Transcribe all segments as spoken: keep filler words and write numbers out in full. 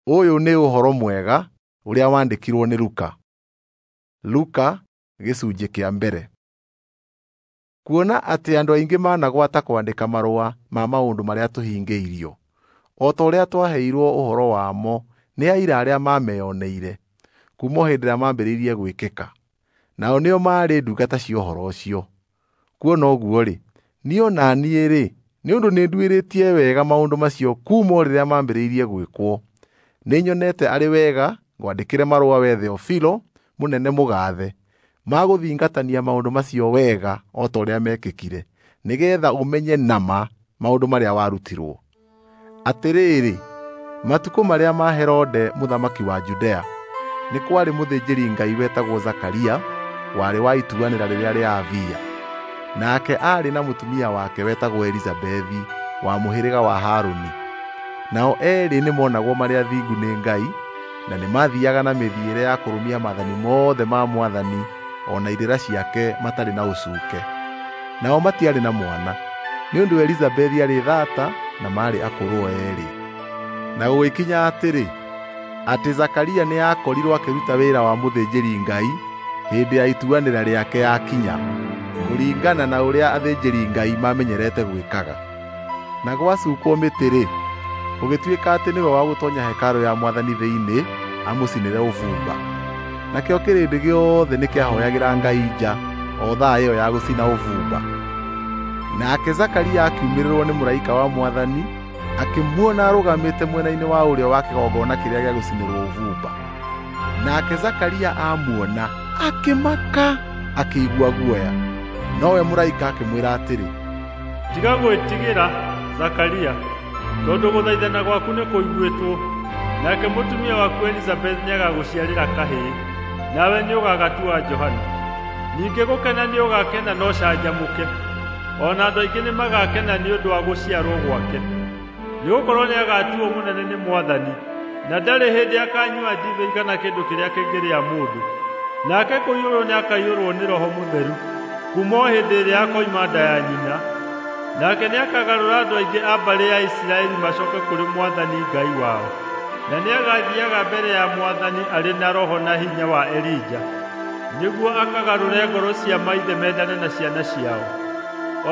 Ũyũ nĩ ũhoro mwega ũrĩa wandĩkirwo nĩ Luka. Luka gĩcunjĩ kĩa mbere. Kuona atĩ andũ aingĩ managwata kwandĩka marũa ma maũndũ marĩa tũhingĩirio, o ta ũrĩa twaheirwo ũhoro wamo nĩ aira arĩa mameyoneire kuuma o hĩndĩ ĩrĩa mambĩrĩirie gwĩkĩka, nao nĩo maarĩ ndungata cia ũhoro ũcio. Kuona ũguo-rĩ, niĩ o na niĩ-rĩ, nĩ ũndũ nĩnduĩrĩtie wega maũndũ macio kuuma o rĩrĩa mambĩrĩirie gwĩkwo, nĩnyonete arĩ wega ngwandĩkĩre marũa wee Theofilo, mũnene mũgaathe, ma gũthingatania maũndũ macio wega o ta ũrĩa meekĩkire, nĩgeetha ũmenye na ma maũndũ marĩa warutirwo. Atĩrĩrĩ, matukũ marĩa ma Herode mũthamaki wa Judea, nĩ kwarĩ mũthĩnjĩri-Ngai wetagwo Zakaria, warĩ wa ituanĩra rĩrĩa rĩa Abia. Nake aarĩ na mũtumia wake wetagwo Elizabethi wa mũhĩrĩga wa Harũni. Nao eerĩ nĩmonagwo marĩ athingu nĩ Ngai, na nĩmathiiaga na mĩthiĩre ya kũrũmia maathani mothe ma Mwathani o na irĩra ciake matarĩ na ũcuuke. Nao matiarĩ na mwana, nĩ ũndũ Elizabethi aarĩ thaata na maarĩ akũrũ o eerĩ. Na gũgĩkinya atĩrĩ, atĩ Zakaria nĩakorirwo akĩruta wĩra wa mũthĩnjĩri-Ngai hĩndĩ ya ituanĩra rĩake yakinya, kũringana na ũrĩa athĩnjĩri-Ngai mamenyerete gwĩkaga. Na gwacukwo mĩtĩ-rĩ, gũgĩtuĩka atĩ nĩwe wa gũtoonya hekarũ ya Mwathani thĩinĩ amũcinĩre ũbumba. Nakĩo kĩrĩndĩ gĩothe nĩkĩahooyagĩra Ngai nja o thaa ĩyo ya gũcina ũbumba. Nake Zakaria akiumĩrĩrwo nĩ mũraika wa Mwathani, akĩmuona arũgamĩte mwena-inĩ wa ũrĩo wa kĩgongona kĩrĩa gĩa gũcinĩrwo ũbumba. Nake Zakaria amuona akĩmaka, akĩigua guoya. Nowe mũraika akĩmwĩra atĩrĩ, Tiga gwĩtigĩra, Zakaria, tondũ gũthaithana gwaku nĩkũiguĩtwo, nake mũtumia waku Elizabeth nĩagagũciarĩra kahĩĩ, nawe nĩũgagatua Johana. Ningĩ gũkena nĩũgakena na ũcanjamũke, o na andũ aingĩ nĩmagakena nĩ ũndũ wa gũciarwo gwake. Nĩgũkorwo nĩagatuuo mũnene nĩ Mwathani, na ndarĩ hĩndĩ akanyua ndibei kana kĩndũ kĩrĩa kĩngĩrĩa mũndũ. Nake kũiyũrwo nĩakaiyũrwo nĩ Roho Mũtheru kuuma o hĩndĩ ĩrĩa akoima nda ya nyina. Nake nĩakagarũra andũ aingĩ a mbarĩ ya Isiraeli macooke kũrĩ Mwathani Ngai wao. Na nĩagathiiaga mbere ya Mwathani arĩ na roho na hinya wa Elija, nĩguo akagarũre ngoro cia maithe mendane na ciana ciao,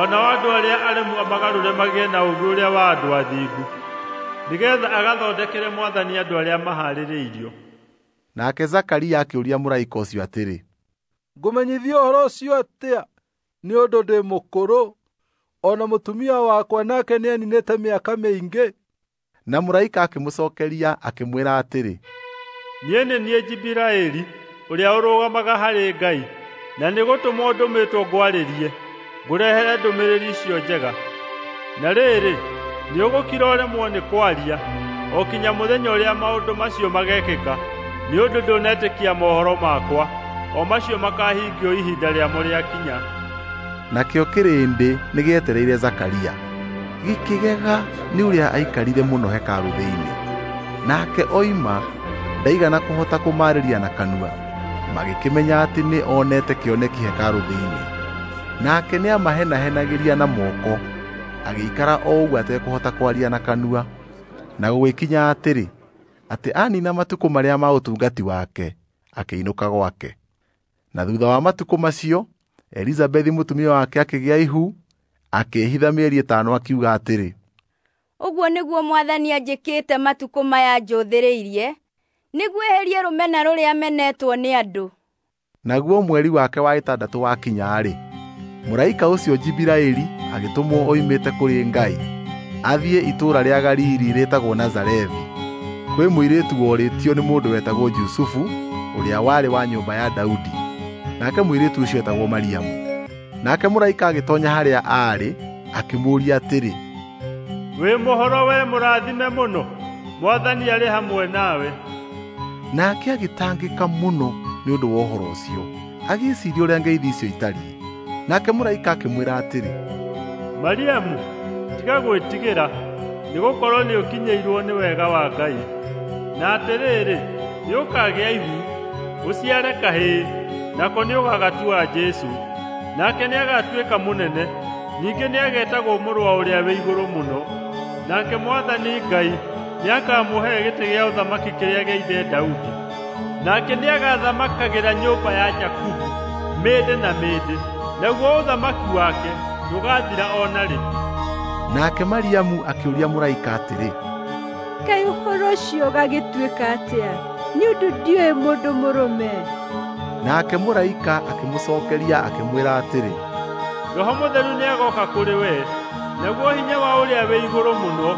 o nao andũ arĩa aremu amagarũre magĩe na ũũgĩ ũrĩa wa andũ athingu, nĩgeetha agathondekere Mwathani andũ arĩa mahaarĩrĩirio. Nake Zakaria akĩũria mũraika ũcio atĩrĩ, Ngũmenyithio ũhoro ũcio atĩa? Nĩ ũndũ ndĩ mũkũrũ, o na mũtumia wakwa nake nĩaninĩte mĩaka mĩingĩ. Na mũraika akĩmũcookeria akĩmwĩra atĩrĩ, Niĩ nĩ niĩ Jibiraeli, ũrĩa ũrũgamaga harĩ Ngai, na nĩgũtũmwo ndũmĩtwo ngwarĩrie, ngũrehere ndũmĩrĩri icio njega. Na rĩrĩ, nĩũgũkira ũremwo nĩ kwaria, o kinya mũthenya ũrĩa maũndũ macio magekĩka, nĩ ũndũ ndũnetĩkia mohoro makwa, o macio makahingio ihinda rĩamo rĩakinya. Nakĩo kĩrĩndĩ nĩgĩetereire Zakaria, gĩkĩgega nĩ ũrĩa aikarire mũno hekarũ thĩinĩ. Nake oima ndaigana kũhota kũmaarĩria na kanua, magĩkĩmenya atĩ nĩ onete kĩoneki hekarũ thĩinĩ. Nake nĩamahenahenagĩria na moko, agĩikara o ũguo atekũhota kwaria na kanua. Na gũgĩkinya atĩrĩ, atĩ anina matukũ marĩa ma ũtungati wake, akĩinũka gwake. Na thutha wa matukũ macio, Elizabethi mũtumia wake akĩgĩa ihu, akĩĩhitha mĩeri ĩtano akiuga atĩrĩ, Ũguo nĩguo Mwathani anjĩkĩte matukũ maya njũthĩrĩirie, nĩguo eherie rũmena rũrĩa menetwo nĩ andũ. Naguo mweri wake wa ĩtandatũ wakinya-rĩ, mũraika ũcio Jibiraeli agĩtũmwo oimĩte kũrĩ Ngai athiĩ itũũra rĩa Galili rĩtagwo Nazarethi, kwĩ mũirĩtu worĩtio nĩ mũndũ wetagwo Jusufu, ũrĩa warĩ wa nyũmba ya Daudi. Nake mũirĩtu ũcio etagwo Mariamu. Nake mũraika agĩtoonya harĩa aarĩ, akĩmũũria atĩrĩ, Wĩ mũhoro we mũrathime mũno, Mwathani arĩ hamwe nawe. Nake agĩtangĩka mũno nĩ ũndũ wa ũhoro ũcio, agĩĩciiria ũrĩa ngeithi icio itariĩ. Nake mũraika akĩmwĩra atĩrĩ, Mariamu, tiga gwĩtigĩra, nĩgũkorwo nĩũkinyĩirwo nĩ wega wa Ngai. Na atĩrĩrĩ, nĩũkagĩa ihu, ũciare kahĩĩ, nako nĩũgagatua Jesũ. Nake nĩagatuĩka mũnene, ningĩ nĩagetagwo Mũrũ wa Ũrĩa-wĩ-Igũrũ Mũno. Nake Mwathani Ngai Nĩakamũhe gĩtĩ gĩa ũthamaki kĩrĩa gĩa ithe Daudi. Nake nĩagathamakagĩra nyũmba ya Jakubu mĩndĩ na mĩndĩ, naguo ũthamaki wake ndũgathira o na rĩ. Nake Mariamu akĩũria mũraika atĩrĩ, Kaĩ ũhoro ũcio ũgagĩtuĩka atĩa? Nĩ ũndũ ndiũĩ mũndũ mũrũme. Nake mũraika akĩmũcookeria akĩmwĩra atĩrĩ, Roho Mũtheru nĩagooka kũrĩ we, naguo hinya wa ũrĩa wĩ igũrũ mũno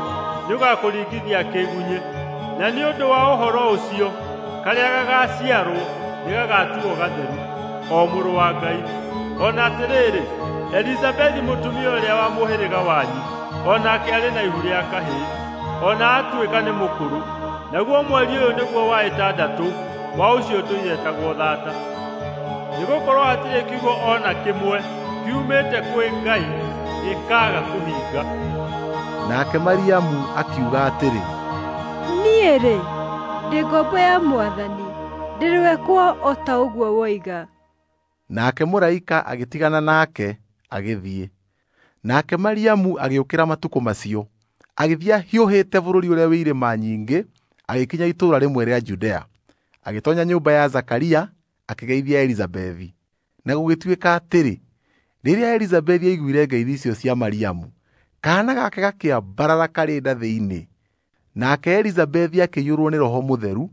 nĩũgakũringithia kĩgunyĩ. Na nĩ ũndũ wa ũhoro ũcio karĩa gagaciarwo nĩgagatuo gatheru, o Mũrũ wa Ngai. O na atĩrĩrĩ, Elizabethi mũtumia ũrĩa wa mũhĩrĩga wanyu, o nake arĩ na ihu rĩa kahĩĩ, o na atuĩka nĩ mũkũrũ. Naguo mweri ũyũ nĩguo wa ĩtandatũ wa ũcio ũtũire etagwo thaata. Nĩgũkorwo hatirĩ kiugo o na kĩmwe kiumĩte kwĩ Ngai gĩkaaga kũhinga. Nake Mariamu akiuga atĩrĩ, Niĩ-rĩ, ndĩ ngombo ya Mwathani, ndĩrĩwekwo o ta ũguo woiga. Nake mũraika agĩtigana nake agĩthiĩ. Nake Mariamu agĩũkĩra matukũ macio, agĩthiĩ ahiũhĩte bũrũri ũrĩa wĩ irĩma nyingĩ, agĩkinya itũũra rĩmwe rĩa Judea. Agĩtoonya nyũmba ya Zakaria, akĩgeithia Elizabethi. Na gũgĩtuĩka atĩrĩ, rĩrĩa Elizabethi aiguire ngeithi icio cia Mariamu, kaana gake gakĩambarara karĩ nda thĩinĩ. Nake Elizabethi akĩiyũrwo nĩ Roho Mũtheru,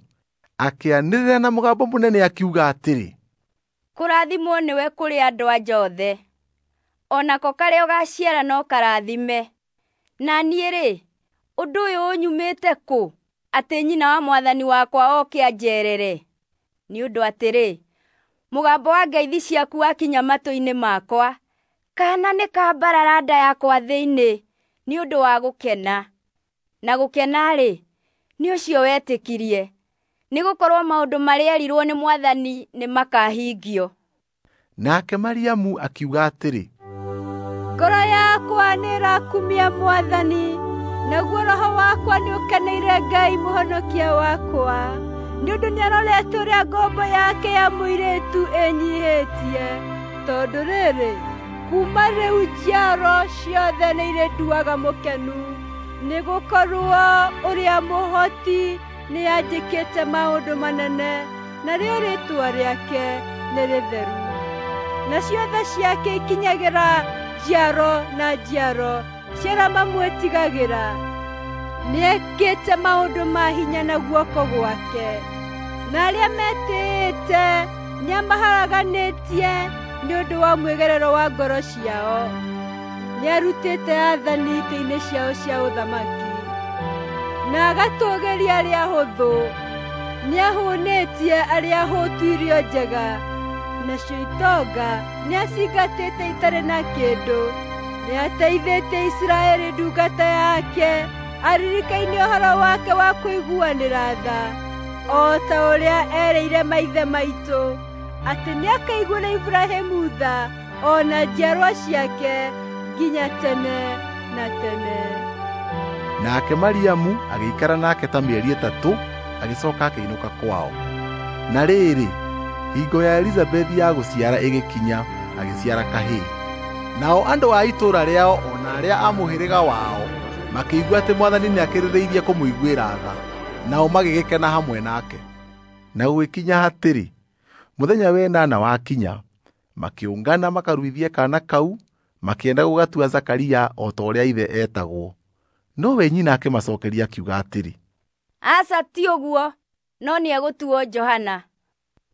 akĩanĩrĩra na mũgambo mũnene akiuga atĩrĩ, Kũrathimwo nĩwe kũrĩ andũ anja othe, o nako karĩa ũgaaciara no karathime. Na niĩ-rĩ, ũndũ ũyũ ũnyumĩte kũ, atĩ nyina wa Mwathani wakwa oke anjeerere? Nĩ ũndũ atĩrĩ, mũgambo wa ngeithi ciaku wakinya matũ-inĩ makwa, kaana nĩkambarara nda yakwa thĩinĩ nĩ ũndũ wa gũkena. Na gũkena-rĩ, nĩ ũcio wetĩkirie, nĩgũkorwo maũndũ marĩa eerirwo nĩ Mwathani nĩmakahingio. Nake Mariamu akiuga atĩrĩ, Ngoro yakwa nĩĩrakumia Mwathani, naguo roho wakwa nĩũkeneire Ngai mũhonokia wakwa, nĩ ũndũ nĩarorete ũrĩa ngombo yake ya mũirĩtu ĩnyiihĩtie. Tondũ rĩrĩ, kuuma rĩu njiaro ciothe nĩirĩnduaga mũkenu, nĩgũkorwo ũrĩa mũhoti nĩanjĩkĩte maũndũ manene, narĩo rĩĩtwa rĩake nĩ rĩtheru. Nacio tha ciake ikinyagĩra njiaro na njiaro cia arĩa mamwĩtigagĩra. Nĩekĩte maũndũ ma hinya na guoko gwake, na arĩa metĩĩte nĩamaharaganĩtie nĩ ũndũ wa mwĩgerero wa ngoro ciao. Nĩarutĩte aathani itĩ-inĩ ciao cia ũthamaki, na agatũũgĩria arĩa ahũthũ. Nĩahũnĩtie arĩa ahũtu irio njega, nacio itonga nĩacingatĩte itarĩ na kĩndũ. Nĩateithĩtie Isiraeli ndungata yake, aririkaine ũhoro wake wa kũiguanĩra tha, o ta ũrĩa erĩire maithe maitũ, atĩ nĩakaiguĩra Iburahĩmu tha o na njiarwa ciake nginya tene na tene. Nake Mariamu agĩikara nake ta mĩeri ĩtatũ, agĩcooka akĩinũka kwao. Na rĩrĩ, hingo ya Elizabethi ya gũciara ĩgĩkinya, agĩciara kahĩĩ. Nao andũ a itũũra rĩao o na arĩa a mũhĩrĩga wao makĩigua atĩ Mwathani nĩakĩrĩrĩirie kũmũiguĩra tha, nao magĩgĩkena hamwe nake. Na gũgĩkinya atĩrĩ, mũthenya wa ĩnana wakinya, makĩũngana makaruithie kaana kau, makĩenda gũgatua Zakaria o ta ũrĩa ithe eetagwo. Nowe nyina akĩmacookeria akiuga atĩrĩ, Aca, ti ũguo, no nĩegũtuo Johana.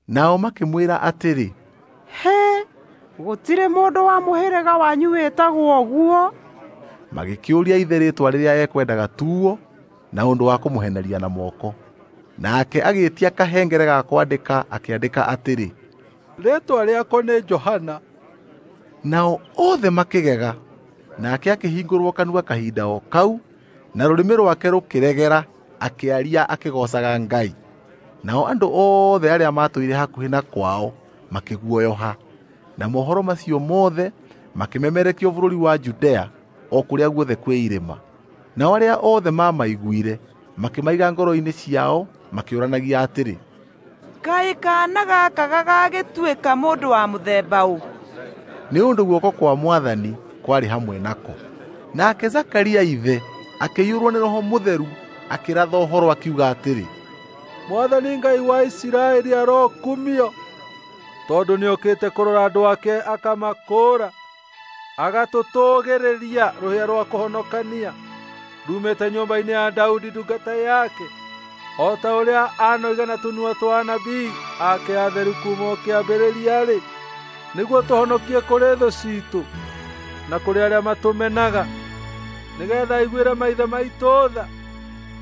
Nao makĩmwĩra atĩrĩ, Hĩ, gũtirĩ mũndũ wa mũhĩrĩga wanyu wĩtagwo ũguo. Magĩkĩũria ithe rĩĩtwa rĩrĩa ekwendaga tuo na ũndũ wa kũmũheneria na moko. Nake agĩĩtia kahengere ga kwandĩka akĩandĩka atĩrĩ, Rĩĩtwa rĩako nĩ Johana. Nao othe makĩgega. Nake akĩhingũrwo kanua kahinda o kau, na rũrĩmĩ rwake rũkĩregera, akĩaria akĩgoocaga Ngai. Nao andũ othe arĩa maatũire hakuhĩ na kwao makĩguoyoha. Na mohoro macio mothe makĩmemerekio bũrũri wa Judea o kũrĩa guothe kwĩ irĩma. Nao arĩa othe maamaiguire makĩmaiga ngoro-inĩ ciao makĩũranagia atĩrĩ, Kaĩ kaana gaka gagagĩtuĩka mũndũ wa mũthemba ũ? Nĩ ũndũ guoko kwa Mwathani kwarĩ hamwe nako. Nake Zakaria ithe akĩiyũrwo nĩ Roho Mũtheru, Akĩratha ũhoro akiuga atĩrĩ, Mwathani Ngai wa Isiraeli arokumio, tondũ nĩokĩte kũrora andũ ake akamakũũra, agatũtũũgĩrĩria rũhĩa rwa kũhonokania rumĩte nyũmba-inĩ ya Daudi ndungata yake, o ta ũrĩa anoiga na tũnua twa anabii ake atheru kuuma o kĩambĩrĩria-rĩ, nĩguo tũhonokie kũrĩ thũ ciitũ na kũrĩ arĩa matũmenaga, nĩgeetha aiguĩre maithe maitũ tha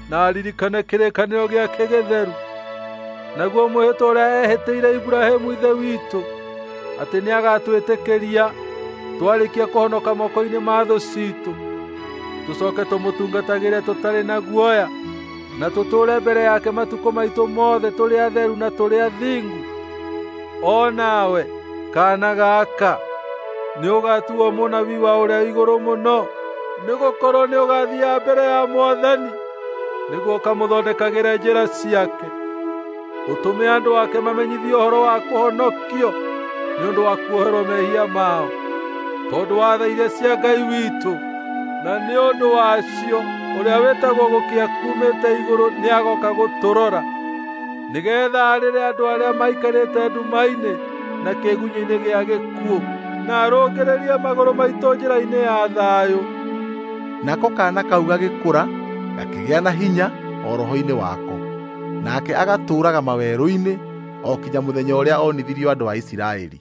na aririkane kĩrĩkanĩro gĩake gĩtheru, naguo mwĩhĩtwa ũrĩa eehĩtĩire Iburahĩmu ithe witũ, atĩ nĩagatwĩtĩkĩria twarĩkia kũhonoka moko-inĩ ma thũ ciitũ, tũcoke tũmũtungatagĩre tũtarĩ na guoya, na tũtũũre mbere yake matukũ maitũ mothe tũrĩ atheru na tũrĩ athingu. O nawe, kaana gaka, nĩũgatuo mũnabii wa Ũrĩa Igũrũ Mũno, nĩgũkorwo nĩũgathiiaga mbere ya Mwathani nĩguo ũkamũthondekagĩre njĩra ciake, ũtũme andũ ake mamenyithio ũhoro wa kũhonokio nĩ ũndũ wa kuoherwo mehia mao, tondũ wa tha iria cia Ngai witũ, na nĩ ũndũ wacio ũrĩa wĩtagwo Gũkĩa kuumĩte igũrũ nĩagoka gũtũrora, nĩgeetha arĩre andũ arĩa maikarĩte nduma-inĩ na kĩĩgunyĩ-inĩ gĩa gĩkuũ, na arũngĩrĩrie magũrũ maitũ njĩra-inĩ ya thayũ. Nako kaana kau gagĩkũra, gakĩgĩa na hinya o roho-inĩ wako, nake agatũũraga mawerũ-inĩ o kinya mũthenya ũrĩa onithirio andũ a Isiraeli.